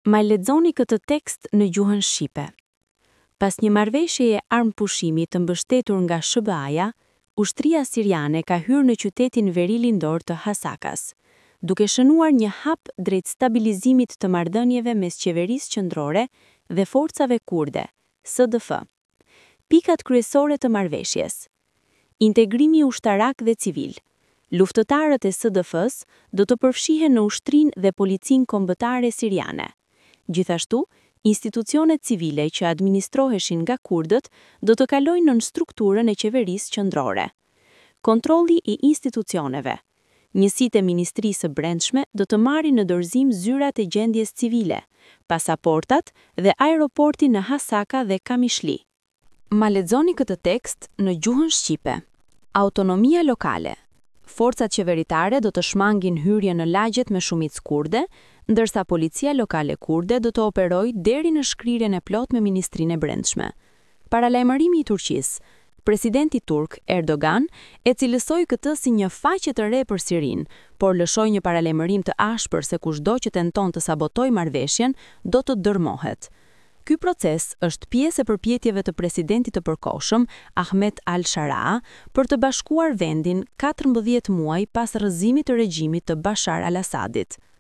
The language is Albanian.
Ma lexoni këtë tekst në gjuhën shqipe. Pas një marrëveshjeje armëpushimi të mbështetur nga SHBA-ja, ushtria siriane ka hyrë në qytetin verilindor të Hasakas, duke shënuar një hap drejt stabilizimit të marrëdhënieve mes qeverisë qendrore dhe forcave kurde, SDF. Pikat kryesore të marrëveshjes. Integrimi ushtarak dhe civil. Luftëtarët e SDF-së do të përfshihen në ushtrinë dhe policinë kombëtare siriane. Gjithashtu, institucionet civile që administroheshin nga kurdët do të kalojnë nën strukturën e qeverisë qendrore. Kontrolli i institucioneve. Njësitë e Ministrisë së Brendshme do të marrin në dorëzim zyrat e gjendjes civile, pasaportat dhe aeroportin në Hasaka dhe Kamishli. Ma lexoni këtë tekst në gjuhën shqipe. Autonomia lokale. Forcat qeveritare do të shmangin hyrjen në lagjet me shumicë kurde, ndërsa policia lokale kurde do të operojë deri në shkrirjen e plotë me Ministrinë e Brendshme. Paralajmërimi i Turqisë. Presidenti turk Erdogan e cilësoi këtë si një faqe të re për Sirinë, por lëshoi një paralajmërim të ashpër se kushdo që tenton të sabotojë marrëveshjen do të dërmohet. Ky proces është pjesë e përpjekjeve të presidentit të përkohshëm Ahmet al-Sharaa për të bashkuar vendin 14 muaj pas rrëzimit të regjimit të Bashar al-Assadit.